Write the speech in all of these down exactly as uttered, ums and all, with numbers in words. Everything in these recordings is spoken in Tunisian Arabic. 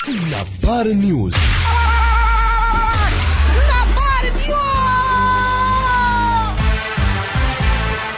نبار نيوز. نبار نيوز.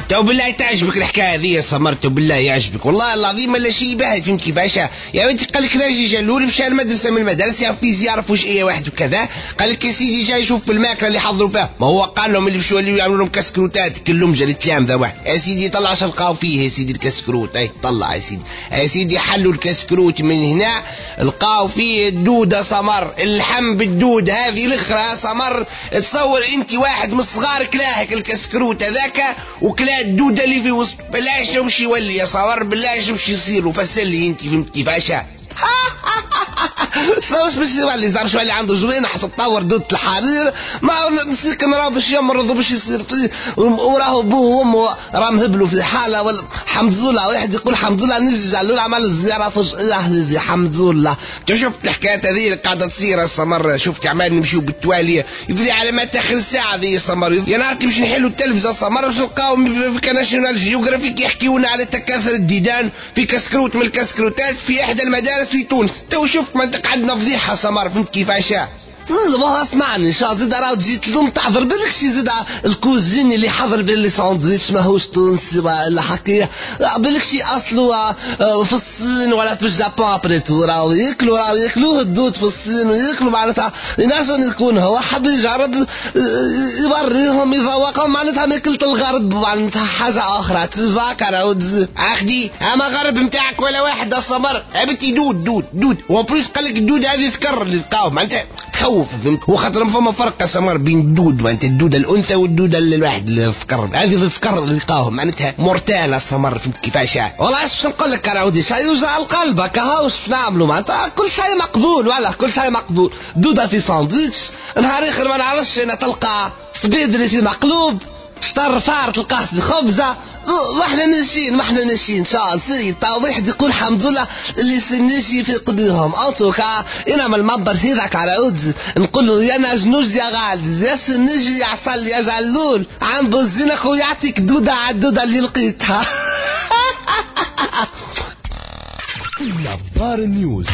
تو بالله تعجبك الحكاية هذه يا سمر، تو بالله يعجبك والله العظيم لا شيء باهي. فهمت كيفاش يا بنتي؟ قال لك ناجي جلول مشى المدرسة من المدارس يعرف فيزياء يعرف وش ايه واحد وكذا. قال لك يا سيدي جاي يشوف في الماكلة اللي حضروا فيها، ما هو قال لهم اللي باش يوليو يعملوا لهم كسكروتات كلهم جا التلامذه واحد. يا سيدي طلع شلقاو فيه يا سيدي الكسكروت، اي طلع يا سيدي يا سيدي حلوا الكسكروت من هنا لقاو فيه الدودة سمر، اللحم بالدود هذه الاخرى سمر. تصور انت واحد من الصغار كلاهك الكسكروت هذاك وكلا الدودة اللي في وسط، بالله شنو باش يولي يا صور، بالله شنو باش يصير؟ وفسر لي انت فهمت كيفاش؟ شنو باش يولي؟ زعما شو اللي عنده جوينح تتطور دودة الحرير، ما هو مسكين راه باش يمرض وباش يصير فيه، وراه بوه وامه راه مهبلوا في حاله. ولا حمد لله واحد يقول حمد لله نجي جلول عمل الزيارة فجأة هذه حمد لله. انت شفت الحكاية هذه اللي قاعدة تصير السمر؟ شفت عمال نمشيو بالتواليه يدري على ما تاخر الساعة هذه السمر. يا نهار كي باش نحلوا التلفزة السمر باش نلقاو في ناشيونال جيوغرافيك يحكيونا على تكاثر الديدان في كسكروت من الكسكروتات في احدى المدارس في تونس. تو شفت ما انت قعدنا فضيحة سمر، فهمت كيفاش؟ ما اسمعني شا زيد راه تجي تلوم تعذر بالك شي زيد ال cuisinier اللي حضر باللي ساندويتش ماهوش تونسي ولا حكاية بالك شي اصله في الصين ولا في اليابان. après tout راهو ياكلوا راهو ياكلوه الدود في الصين وياكلوا معناتها ينجم يكون هو حب يجرب يوريهم يذوقهم معناتها ماكلة الغرب معناتها حاجة اخرى تفاك راهو. اخدي اما غرب نتاعك ولا واحد السمر بنتي دود دود دود و en plus قال لك الدود هذه ذكر اللي لقاوه معناتها تخوف فهمت. وخاطر فما فرق سمر بين الدود معناتها الدودة الانثى والدوده الواحد الذكر، هذه الذكر اللي لقاوه معناتها mortelle سمر، فهمت كيفاش؟ والله اش باش نقول لك راودي شيء يوجع القلب هكا واش باش نعملوا معناتها كل شيء مقبول والله كل شيء مقبول. دوده في ساندويتش نهار اخر ما نعرفش انا تلقى سبيدري في مقلوب شطر فار تلقاه في خبزه. واحنا ناشين واحنا ناشين شا سيد تا واحد يقول الحمد لله اللي سنشي في قدرهم. en tout cas انا من المنبر هذاك على عود نقول له يا نجنوج يا غالي يا سنجي يا عسل يا جلول عم بزينك ويعطيك دوده على الدودة اللي لقيتها. نبار نيوز.